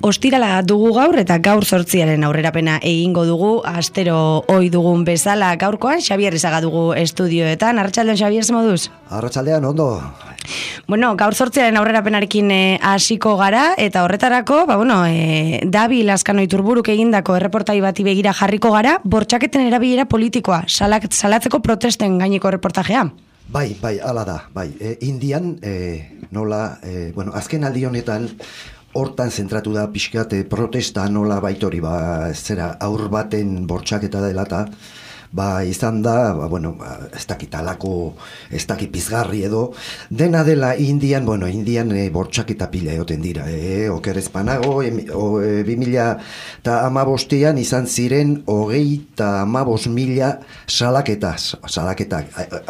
Ostirala dugu gaur eta gaur 8 aurrerapena egingo dugu, astero ohi dugun bezala gaurkoan Xabier Ezaga dugu estudioetan. Arratsaldean Xabier, ze moduz? Arratsaldean ondo. Bueno, gaur 8 aurrerapenarekin hasiko gara eta horretarako, Dabi Lazkano Iturburuk egindako erreportai bati begira jarriko gara, bortxaketen erabilera politikoa, salatzeko protesten gaineko erreportajea. Bai, hala da, bai. Indian, azken aldi honetan, hortan zentratu da pixkat protesta nola baitori, aur baten bortxaketa dela eta, izan da, ez dakit alako, ez dakit pizgarri edo, dena dela Indian bortxaketa pila egoten dira, okerez panago, 2015an izan ziren 35.000 salaketak,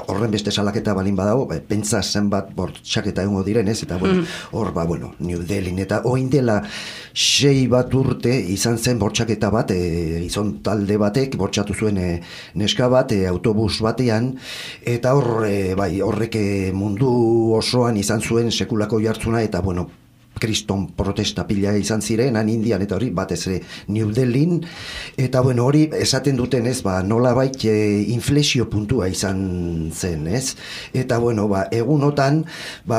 horren beste salaketa balin badago, pentsa zenbat bortxaketa egongo diren, ez, eta hor, New Delhin, eta oin dela 6 bat urte izan zen bortxaketa bat, izan talde batek bortxatu zuen neska bat, autobus batean, eta horrek mundu osoan izan zuen sekulako jartzuna, eta kriston protesta pila izan ziren, Indian, eta hori batez New Delhin, eta hori esaten duten ez, nolabait inflexio puntua izan zen, ez? Eta egunotan,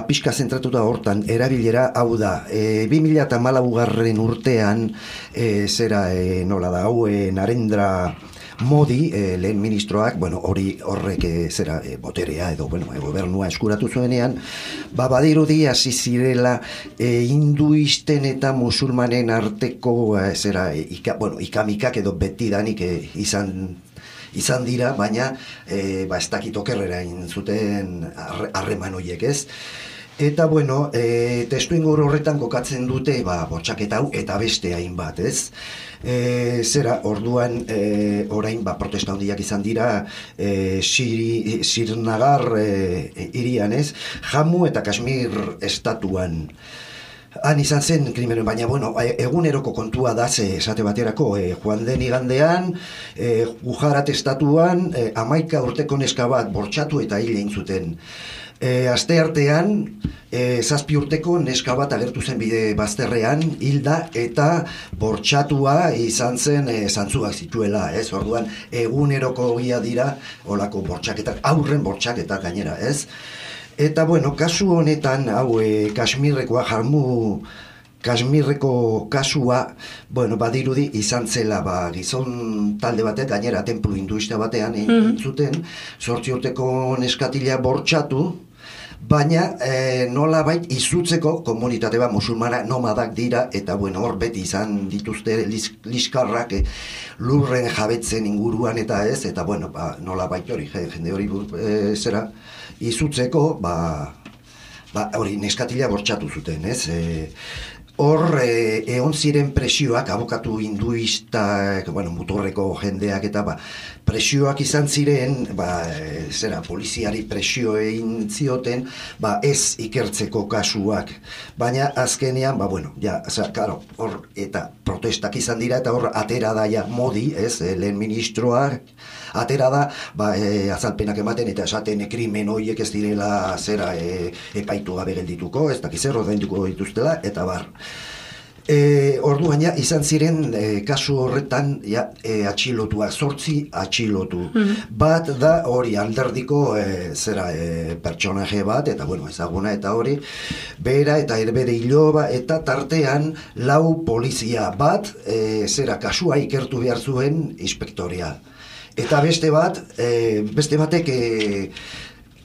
pixka zentratuta hortan, erabilera, hau da, 2014 urtean, Narendra Modi, lehen ministroak, horrek boterea edo, gobernua eskuratu zuenean, badirudi hasi zirela hinduisten eta musulmanen arteko, ikamikak edo betidanik izan dira, baina ez dakit okerrera zuten harreman horiek, ez? Eta, testuinguru horretan kokatzen dute, bortxaketa hau eta beste hainbat, ez? Orduan, orain, protesta handiak izan dira, Srinagar hirian, ez? Jammu eta Kashmir estatuan. Han izan zen krimenen, baina, eguneroko kontua da, esate baterako, joan den igandean, Gujarat estatuan, 11 urteko neska bat bortxatu eta hil egin zuten. Aste artean, 7 urteko neska bat agertu zen bide bazterrean, hilda eta bortxatua izan zen zantzuak zituela, ez? Orduan, eguneroko ogia dira, olako bortxaketak, aurren bortxaketak gainera, ez? Eta, kasu honetan, hau, Kashmirreko kasua, badirudi izan zela, gizon talde batek, gainera templu hinduista batean zuten, 8 urteko neskatila bortxatu, baina nolabait izutzeko komunitate musulmana nomadak dira, eta hor beti izan dituzte liskarrak lurren jabetzen inguruan eta ez, eta nolabait hori, jende hori izutzeko, hori neskatila bortxatu zuten, ez? Hor, egon ziren presioak, abokatu hinduistak, muturreko jendeak eta presioak izan ziren, poliziari presio egin zioten, ez ikertzeko kasuak. Baina azkenean, hor, eta protestak izan dira, eta hor, atera da Modi, ez, lehen ministroak, atera da, azalpenak ematen, eta esaten krimen horiek ez direla epaitu gabe geldituko, ez dakiz ordainduko dituztela, eta orduan izan ziren kasu horretan atxilotua, 8 atxilotu. Bat da hori alderdiko pertsonaje bat, eta ezaguna eta hori, bera eta bere iloba, eta tartean 4 polizia bat, kasua ikertu behar zuen inspektoria. Eta beste batek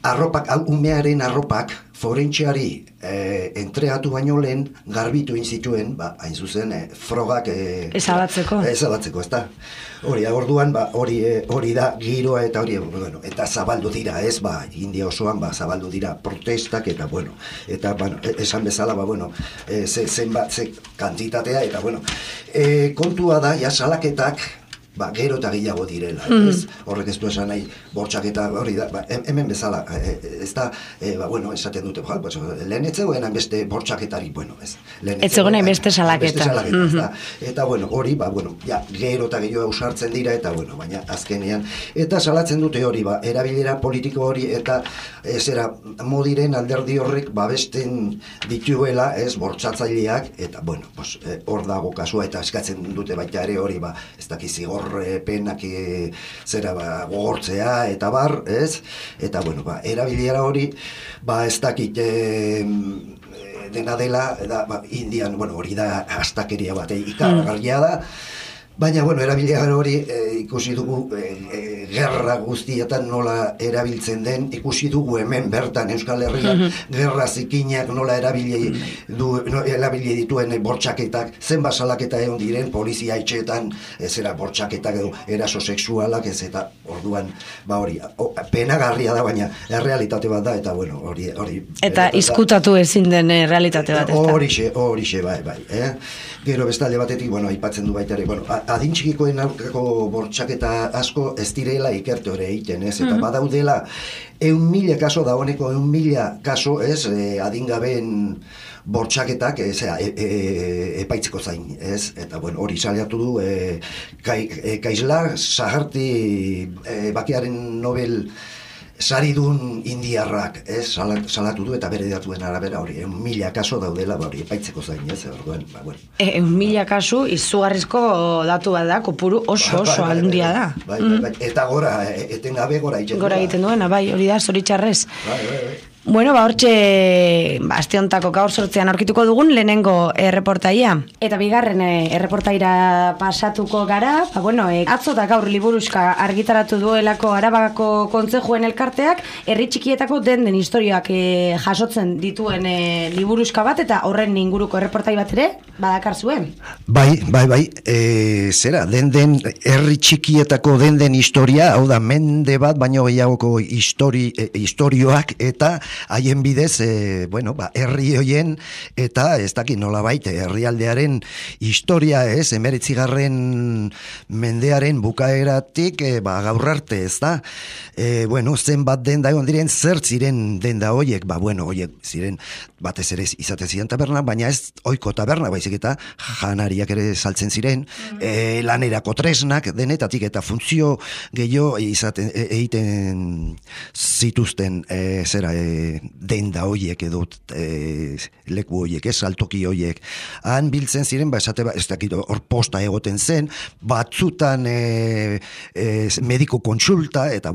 arropak, umearen arropak forentxeari entreatu baino lehen garbitu inzituen, hain zuzen, frogak ezabatzeko, ezta? Hori, orduan, hori da giroa eta hori, bueno, eta zabaldu dira, ez, India osoan, zabaldu dira protestak, eta, bueno, esan bezala, zenbat, kantitatea, eta, bueno, kontua da, salaketak, gero eta gehiago direla, ez? Horrek ez du esan nahi, bortxaketa hori da, hemen bezala, ez da, esaten dute, lehen etzegoen beste bortxaketari, ez? Etzegoen beste salaketa. Eta, hori, gero eta gehiago ausartzen dira, eta, baina azkenean, eta salatzen dute hori, erabilera politiko hori, eta zera modiren alderdi horrek babesten dituela, ez, bortxatzaileak, eta, hor dago kasua, eta eskatzen dute baita ere hori, ez dakizi penak zera gogortzea eta bar, ez? Eta, erabilera hori, ez dakit dena dela, Indian, hori da astakeria bat, ikaragarria da, baina, erabilera hori ikusi dugu gerra guztietan nola erabiltzen den, ikusi dugu hemen bertan Euskal Herrian gerra zikinak nola erabili dituen bortxaketak, zenbat salaketa egon diren, polizia etxeetan, zera bortxaketak edo eraso sexualak, ez eta orduan, hori, penagarria da, baina errealitate bat da, eta hori... Eta izkutatu ezin den realitate bat, ez da? Horixe, bai. Gero bestalde batetik, aipatzen du baita ere, adin txikikoen aurkako bortxaketa asko ez direla ikertu ere egiten, ez? Eta badaudela 100.000 kaso, dagoeneko 100.000 kaso, ez? Adingabeen bortxaketak epaitzeko zain, ez? Eta, hori saliatu du Kaisla Saharti bakearen Nobel saridun indiarrak, ez, salatu du eta bere datuen arabera hori, 1.000 kaso daudela, hori epaitzeko zain, ez, orduan, 1.000 kasu izugarrizko datu bat da, kopuru oso handia da. Bai, eta gora, etengabe gora egiten duena. Gora egiten duena, bai, hori da, zoritxarrez. Bai. Bueno, hortxe, aste hontako gaur sortzean aurkituko dugun lehenengo erreportaia. Eta bigarren erreportaira pasatuko gara, atzo da gaur liburuska argitaratu duelako Arabako kontzejuen elkarteak, herri txikietako den historioak jasotzen dituen liburuska bat, eta horren inguruko erreportai bat ere, badakar zuen. Bai, zera, den herri txikietako den historia, hau da, mende bat, baino gehiagoko historioak, eta haien bidez, herri hoien eta ez dakit nolabait herrialdearen historia, ez, 19. mendearen bukaeratik gaur arte, ez da, zenbat denda egon diren, zer ziren denda hoiek, hoiek ziren batez ere izate ziren taberna, baina ez oiko taberna, baizik eta janariak ere saltzen ziren, lanerako tresnak denetatik eta funtzio gehiago egiten zituzten denda hoiek edo leku hoiek, saltoki hoiek. Han biltzen ziren, ez dakit, hor posta egoten zen, batzutan mediko kontsulta, eta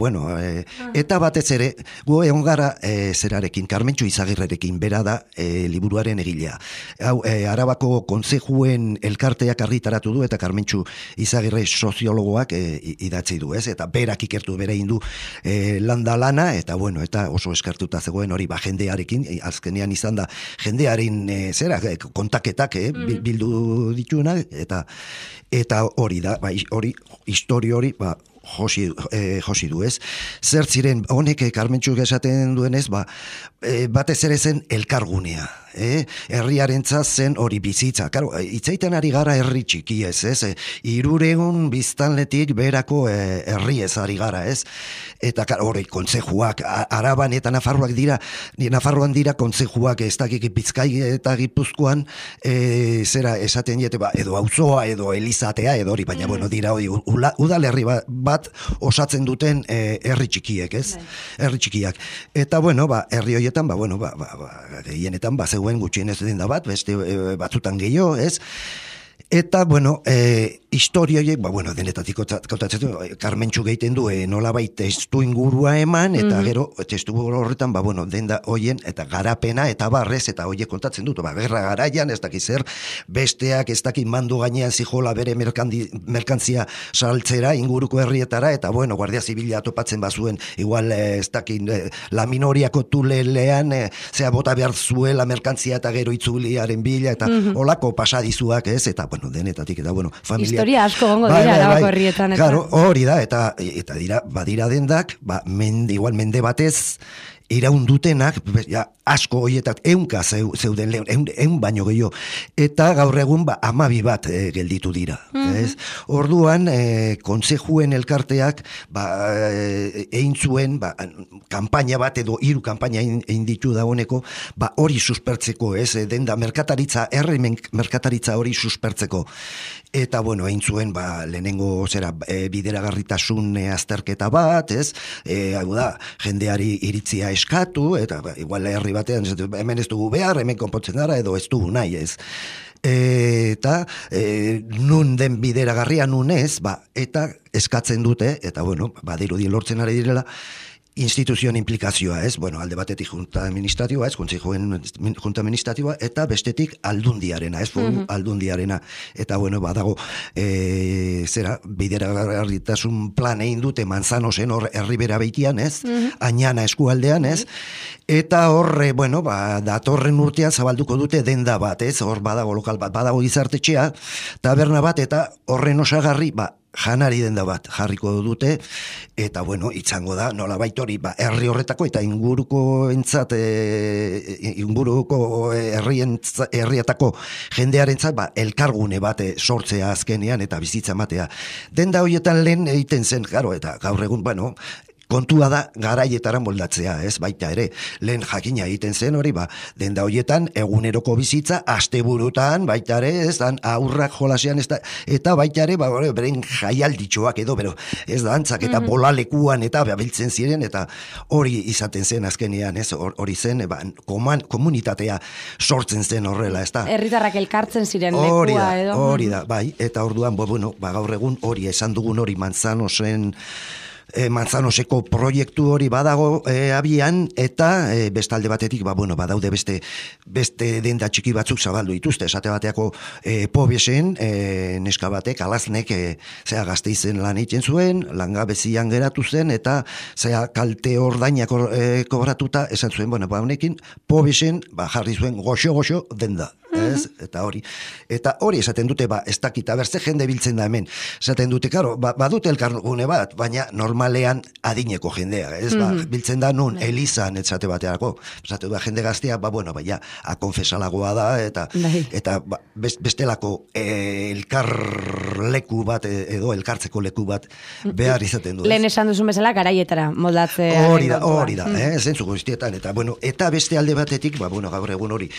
eta batez ere, gu egon gara zerarekin, Karmentxu Izagirrerekin bera da liburuaren egilea. Hau, Arabako kontzejuen elkarteak argitaratu du, eta Karmentxu Izagirre soziologoak idatzi du, ez? Eta berak ikertu bere indu landa lana, eta eta oso eskartuta zegoen hori jendearekin, azkenean izan da jendearen kontaketak bildu dituena, eta hori da, hori, historio hori, josi du, ez? Zer ziren, honek Karmentxuk esaten duenez, batez ere zen elkargunea, herriarentzat zen hori bizitza. Karo, itzaiten ari gara herri txiki ez, 300 biztanletik berako herri ez ari gara, ez? Eta hori kontzejuak, Araban eta Nafarroan dira kontzejuak, ez dakik Bizkai eta Gipuzkoan, zera esaten diete, edo auzoa, edo elizatea, edo hori, baina, dira hori, udalerri bat osatzen duten herri txikiek, ez? Herri txikiak. Eta, herri horietan, gehienetan, zegoen gutxienez den da bat, beste batzutan gehiago, ez? Eta, historioiek, bueno, denetatik kontatzen du, Karmentxu egiten du, nolabait testu ingurua eman, eta gero, testu horretan, bueno, denda hoien, eta garapena, eta barrez, eta hoiek kontatzen dut, gerra garaian, ez dakit zer, besteak, ez dakit mandu gainean zijola bere merkantzia saltzera, inguruko herrietara, eta bueno, Guardia Zibila topatzen bazuen, igual, ez dakit, la minoriako tulelean, zea bota behar zuela merkantzia, eta gero itzuliaren bila, eta olako pasadizuak, ez, eta, bueno, denetatik, eta, bueno, familia historia asko gongo dira Arabako herrietan. Claro, hori da, eta dira, badira dendak, igual mende batez, iraundutenak, ja, asko hoietak, eunka zeuden lehen, eun baino gehiago, eta gaur egun 12 bat gelditu dira. Ez? Orduan, kontsejuen elkarteak, egin zuen, kanpaina bat edo 3 kanpaina egin ditu dagoeneko, hori suspertzeko, ez, denda merkataritza, merkataritza hori suspertzeko. Eta, bueno, egin zuen, lehenengo bideragarritasun azterketa bat, ez, hau da, jendeari iritzia eskatu, eta igual herri batean, hemen ez dugu behar, hemen konpontzen gara, edo ez dugu nahi, ez. Eta nun den bideragarria nun ez, eta eskatzen dute, eta, bueno, badirudi lortzen ari direla, instituzioen implikazioa, ez? Bueno, alde batetik junta administratiboa, ez? Kontsejoen junta administratiboa, eta bestetik aldundiarena, ez? Aldundiarena. Eta, bueno, badago, bideragarritasun plan egin dute Manzanosen hor herribera beitian, ez? Añana eskualdean, ez? Eta horre, bueno, datorren urtean zabalduko dute denda bat, ez? Hor badago lokal bat, badago gizartetxea, taberna bat, eta horren osagarri, janari denda bat jarriko dute, eta, bueno, itzango da, nolabait hori, herri horretako eta inguruko herrietako jendearentzat, elkargune bat sortzea azkenean eta bizitza matea. Denda horietan lehen egiten zen, claro, eta gaur egun, bueno, kontua da garaietara moldatzea, ez, baita ere, lehen jakina egiten zen hori, denda horietan eguneroko bizitza, asteburutan, baita ere, ez, aurrak jolasean, eta baita ere, beren jaialditxoak edo, ez da, antzak, eta bolalekuan, eta biltzen ziren, eta hori izaten zen azkenean, ez, hori zen, komunitatea sortzen zen horrela, ez da. Herritarrak elkartzen ziren lekua edo. Hori da, bai, eta orduan, bueno, gaur egun hori, esan dugun hori Manzanoseko proiektu hori badago abian, eta bestalde batetik, badaude beste denda txiki batzuk zabaldu dituzte, esate bateako Pobesen, neska batek, alaznek, Gasteizen lan egiten zuen, langabezian geratu zen, eta kalte ordainak kobratuta, esan zuen, honekin, Pobesen, jarri zuen goxo denda. Ez? Eta hori esaten dute, ez dakita berze jende biltzen da hemen, esaten dute, karo, badute elkargune bat, baina normalean adineko jendea, ez, biltzen da nun, elizan, etzate bateako, esate da jende gaztea, ja, akonfesalagoa da, eta bestelako elkarleku bat, edo elkartzeko leku bat behar izaten du. Lehen esan duzun bezala, garaietara moldatzea. Hori da, zentzuko iztietan, eta beste alde batetik, gaur egun hori,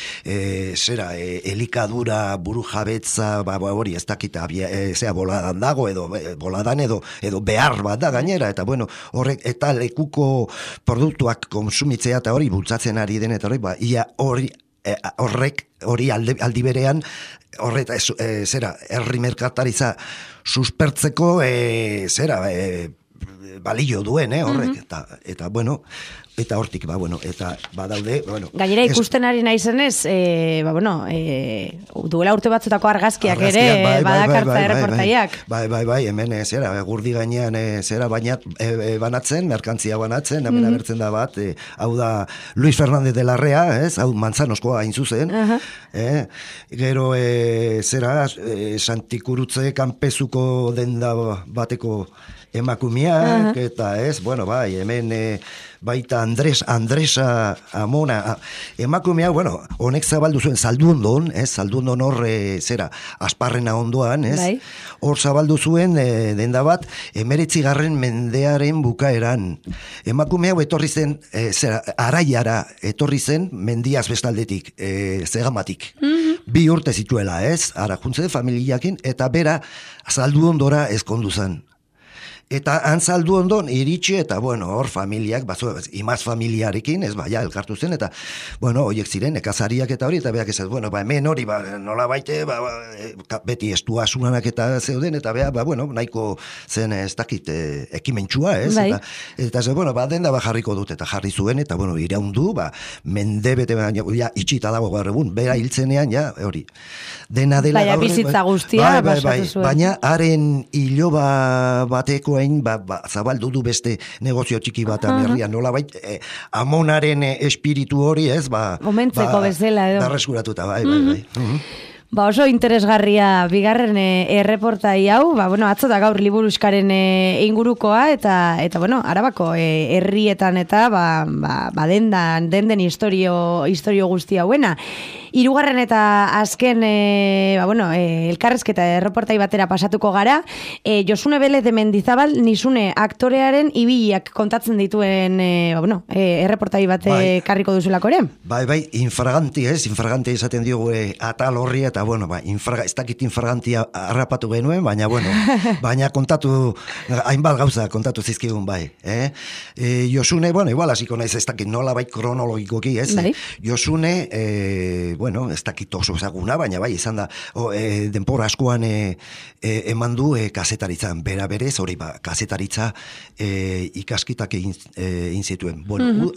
elikadura, buru jabetza, hori ez dakita, boladan dago, edo boladan edo behar bat da gainera, eta horrek, eta lekuko produktuak konsumitzea, eta hori bultzatzen ari den, eta hori aldi berean, herri merkataritza suspertzeko, balio duen, horrek, eta hortik, eta badaude, gainera ikusten ari naizenez, duela urte batzutako argazkiak ere, badakartza erreportaiak. Bai, hemen, gurdi gainean, banatzen, merkantzia banatzen, hemen abertzen da bat, hau da Luis Fernández de Larrea, hau Manzanoskoa hain zuzen, gero, Santikurutze kanpezuko denda bateko emakumeak, eta hemen baita Andresa Amona, emakumea, honek zabaldu zuen Zaldundon, Zaldundon hor, Asparrena ondoan, hor zabaldu zuen denda bat, 19. mendearen bukaeran. Emakumea etorri zen, Araiara etorri zen, mendiaz bestaldetik, Zegamatik. 2 urte zituela, ara juntze familiakin, eta bera Zaldundora ezkondu zen. Eta antzaldu ondon iritsi eta, bueno, hor familiak, imaz familiarekin, ez ja, elkartu zen, eta, bueno, horiek ziren, ekazariak eta hori, eta beak ez, bueno, hemen hori, nola baite, beti estua asunanak eta zeuden, eta bueno, nahiko zen ez dakit ekimentsua, ez? Bai. Eta bueno, denda jarriko dut, eta jarri zuen, eta, bueno, iraundu, mende bete, ja, itxita dago gaur egun, bera hiltzenean, ja, hori. Dena dela... Baina bizitza guztia, basatu zuen. Baina, haren iloba bateko zabaldu du beste negozio txiki bat herrian, nola bait, amonaren espiritu hori, ez, omentzeko bezala, edo. Berreskuratuta, bai. Oso interesgarria bigarren erreportai hau, atzo da gaur liburuskaren ingurukoa, eta bueno, Arabako herrietan eta denden historio guzti hauena. Hirugarren eta azken elkarrezketa erreportai batera pasatuko gara, Josune Belez de Mendizabal Nizune aktorearen ibiliak kontatzen dituen erreportai bat karriko duzulako ere? Bai, infraganti esaten diogu atal horri, eta ez dakit infragantia harrapatu genuen, baina kontatu, hainbat gauza kontatu zizkigun bai. Josune, igual hasiko naiz ez dakit nola bai kronologikoki, ez? Bai. Josune, ez dakit oso ezaguna, baina bai, izan da, denpora askoan eman du kazetaritzan, bera berez, hori kazetaritza ikaskitak egin zituen. Bueno,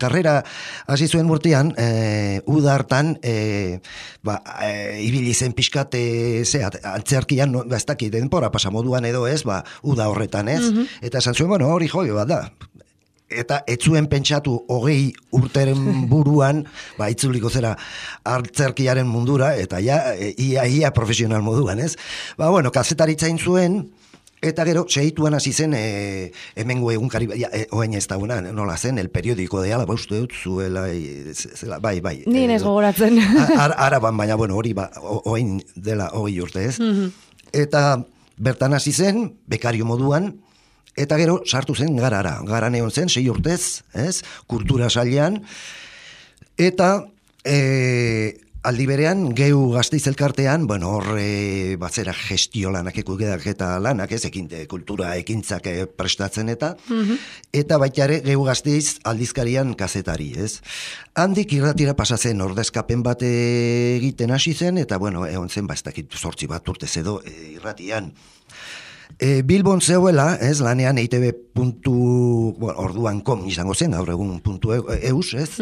karrera hasi zuen urtean, uda hartan, ibili zen pixkat, antzerkian, ez dakit, denpora pasamoduan edo ez, uda horretan ez, eta esan zuen, hori joi bat da, eta ez zuen pentsatu 20 urteren buruan, itzuliko zera antzerkiaren mundura, eta ia profesional moduan, ez? Kazetaritzain zuen, eta gero, segituan hasi zen, hemengo egunkari, oain ez dauna, nola zen, el periodiko de Alaba, uste dut, zuela, bai. Nien ez gogoratzen. Araban, baina, hori, oain dela 20 urte, ez? Eta bertan hasi zen, bekario moduan, eta gero sartu zen garan egon zen, 6 urtez, ez? Kultura sailean, eta aldi berean, Geu Gasteiz elkartean, horre batzera gestio lanak, eta lanak, ez, kultura ekintzak prestatzen eta baita ere Geu Gasteiz aldizkarian kazetari, ez? Handik irratira pasatzen ordezkapen bat egiten hasi zen, eta egon zen, ez dakit 8 bat urtez edo irratian. Bilbon zeuela, ez, lanean EITB orduan kom izango zen, gaur egun .eus, ez?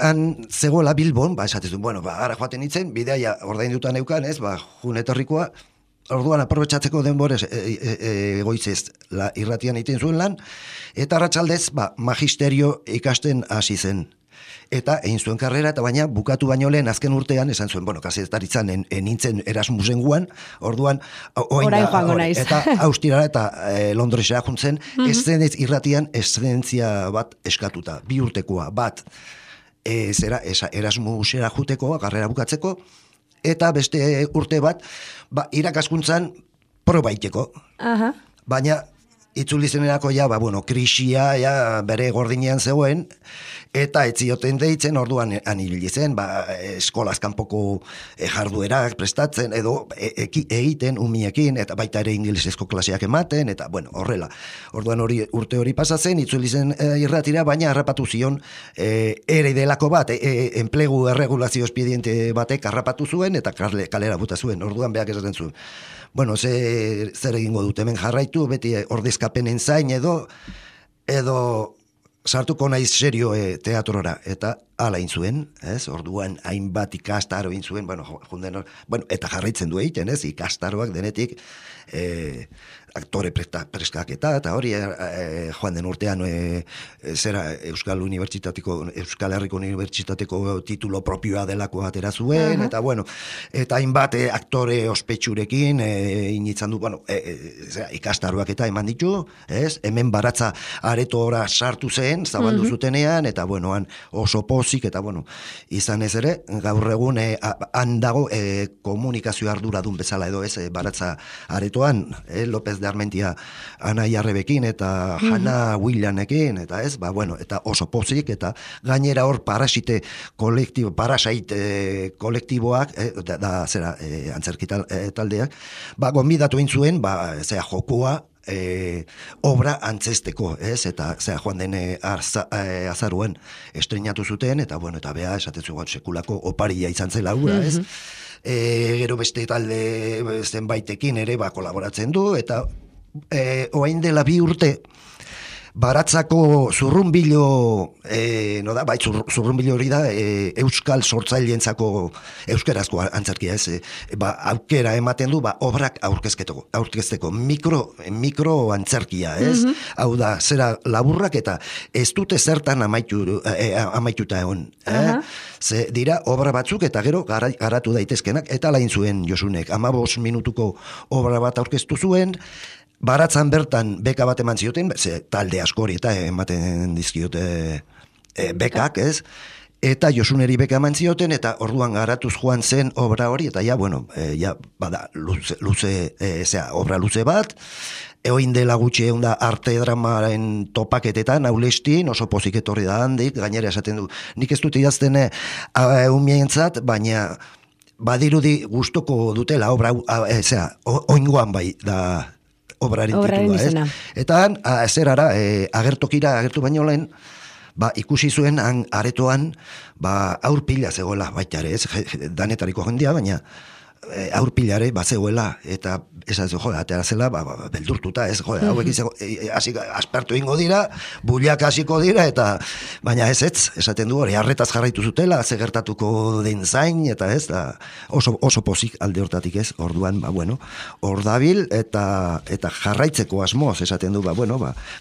Han zegoela Bilbon, esatezun, ara joaten itzen, bidea ordainduta neukan, ez, jun etorrikoa, orduan aprobetxatzeko denborez goizez irratian egiten zuen lan, eta arratsaldez, magisterio ikasten hasi zen. Eta egin zuen karrera, eta baina bukatu baino lehen azken urtean, esan zuen, kazetaritzan nintzen Erasmusen guan, orduan, eta Austirara eta Londresera juntzen, eszenez irratian eszentzia bat eskatuta, 2 urtekoa, bat, Erasmusera juteko, karrera bukatzeko, eta beste urte bat, irakaskuntzan probaiteko. Baina, itzuli zenerako krisia, bere gordinean zegoen, eta etzioten deitzen, orduan anibili zen, eskolaz kanpoko jarduerak prestatzen, edo egiten umiekin, eta baita ere ingelesezko klaseak ematen, eta horrela. Orduan urte hori pasatzen, itzuli zen irratira, baina harrapatu zion ere delako bat, enplegu erregulazio espediente batek harrapatu zuen, eta kalera buta zuen, orduan beak esaten zuen. Zer egingo dut, hemen jarraitu, beti ordezkapenen zain edo sartuko naiz serio teatrora, eta ala zuen, ez? Orduan hainbat ikastaro zuen, eta jarraitzen du egiten, ez? Ikastaroak denetik aktore preskaketa, eta hori joan den urtean zera Euskal Herriko Unibertsitateko titulo propioa delako atera zuen, eta eta hainbat aktore ospetsurekin initzan du, ikastaroak eta eman ditu, ez? Hemen Baratza aretora sartu zen, zabaldu zutenean, eta han oso pozik, eta izan ez ere, gaur egun han dago komunikazio arduradun bezala edo ez, Baratza aretoan, López de Armentia Ana Jarrebekin eta Hannah Williamekin, eta ez, bueno, eta oso pozik, eta gainera hor Parasite kolektiboak, zera, antzerkita taldeak, gonbidatu egin zuen, jokua, obra antzesteko, ez? Eta joan den azaruen estrenatu zuten, eta bueno, eta bea esatezu sekulako oparia izan zela hura, ez? Gero beste talde zenbaitekin ere kolaboratzen du, eta oain dela 2 urte Baratzako zurrunbilo, zurrunbilo hori da, euskal sortzaileentzako euskerazko antzerkia, ez? Aukera ematen du, obrak aurkezteko mikro antzerkia, ez? Hau da, zera laburrak eta ez dute zertan amaituta egon. Ze dira, obra batzuk eta gero garatu daitezkenak, eta lain zuen Josunek, 15 minutuko obra bat aurkeztu zuen, Baratzan bertan beka bat eman zioten, talde askori eta ematen dizkiote bekak, ez? Eta Josuneri beka eman zioten, eta orduan garatuz joan zen obra hori, eta bada, obra luze bat, eoin dela gutxi egon da arte dramaren topaketetan, aulestin, oso pozik etorri da handik, gainera esaten du, nik ez dut idazten umientzat, baina badirudi gustoko dutela obra, oingoan bai, da obraren titulua, ez? Eta agertu baino lehen, ikusi zuen aretoan, aurpila zegoela baita ere, ez? Danetariko jendia, baina aurpilare zegoela, eta esaz, atera zela, beldurtuta, ez, hauek aspertu ingo dira, buliak hasiko dira, eta, baina ez, esaten du hori, arretaz jarraitu zutela, ze gertatuko den zain, eta ez, oso pozik alde hortatik ez, orduan, hor dabil, eta jarraitzeko asmoz, esaten du,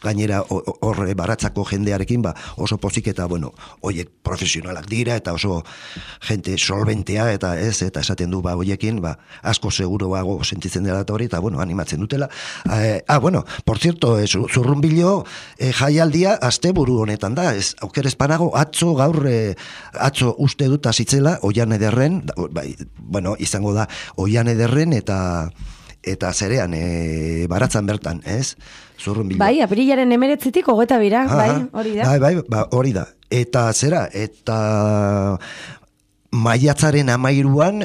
gainera horre Baratzako jendearekin, oso pozik, eta, horiek profesionalak dira, eta oso jente solventea, eta ez, eta esaten du, horiekin, asko seguroago sentitzen dela hori, eta, animatzen dutela. Por cierto, zurrunbilo jaialdia asteburu honetan da, auker espanago, atzo uste dut hasitzela, Oian Ederren, izango da, Oian Ederren, eta zerean, Baratzan bertan, ez? Zurrunbilo. Bai, aprilaren 19 22, hori da. Hori da. Eta zera, eta maiatzaren 13an,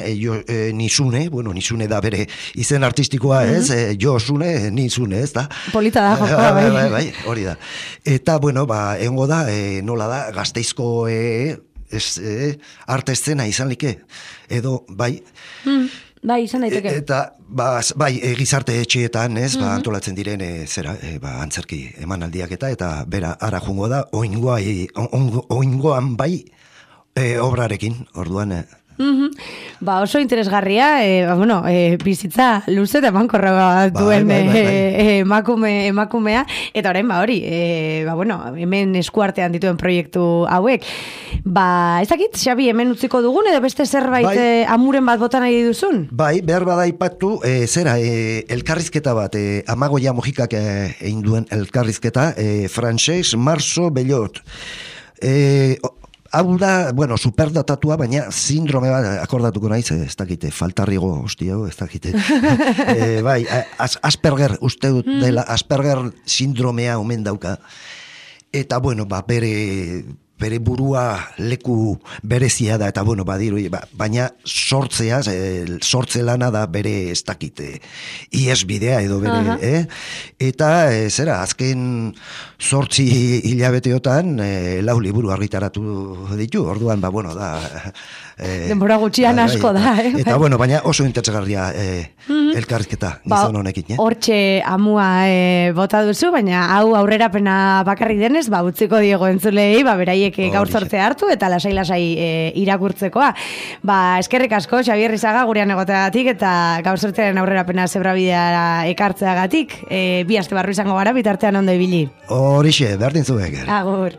Nizune da bere izen artistikoa, ez? Josune, Nizune, ez da? Polita da, jokoa, bai, hori da. Eta, egongo da, nola da, Gasteizko arte eszena izan like, edo, bai... Bai, izan daiteke. Eta, gizarte etxeetan, ez, antolatzen diren, antzerki emanaldiak eta bera, ara jungo da, oingoan bai, obrarekin, orduan... Oso interesgarria, bizitza luze eta emankorra duen emakumea, eta orain hori, hemen eskuartean dituen proiektu hauek. Ez dakit, Xabi, hemen utziko dugun, edo beste zerbait amuren bat bota nahi duzun? Bai, behar bada ipatu, elkarrizketa bat, Amagoia Mojikak egin duen elkarrizketa, Francesc Marzo Bellot. Hau da, superdatatua, baina sindrome bat, akordatuko naiz, ez dakite, faltarrigo, ez dakite. Asperger, uste dut dela, Asperger sindromea omen dauka. Eta, bere burua leku berezia da, eta badiru, baina sortze lana da bere ez dakite, iesbidea edo bere, eta azken 8 hilabeteotan 4 liburu argitaratu ditu, orduan, da... Denbora gutxian asko da, Eta, baina oso interesgarria elkarrizketa gizon honekin, Hortxe amua bota duzu, baina hau aurrerapena bakarrik denez, utziko diego entzulei, beraiek gaur sortze hartu, eta lasai irakurtzekoa. Eskerrik asko, Xabier Rizaga, gurean egoteagatik, eta gaur sortzearen aurrerapena zebrabideara ekartzeagatik, 2 aste barru izango gara, bitartean ondo ibili. Horixe, berdin zuek. Agur.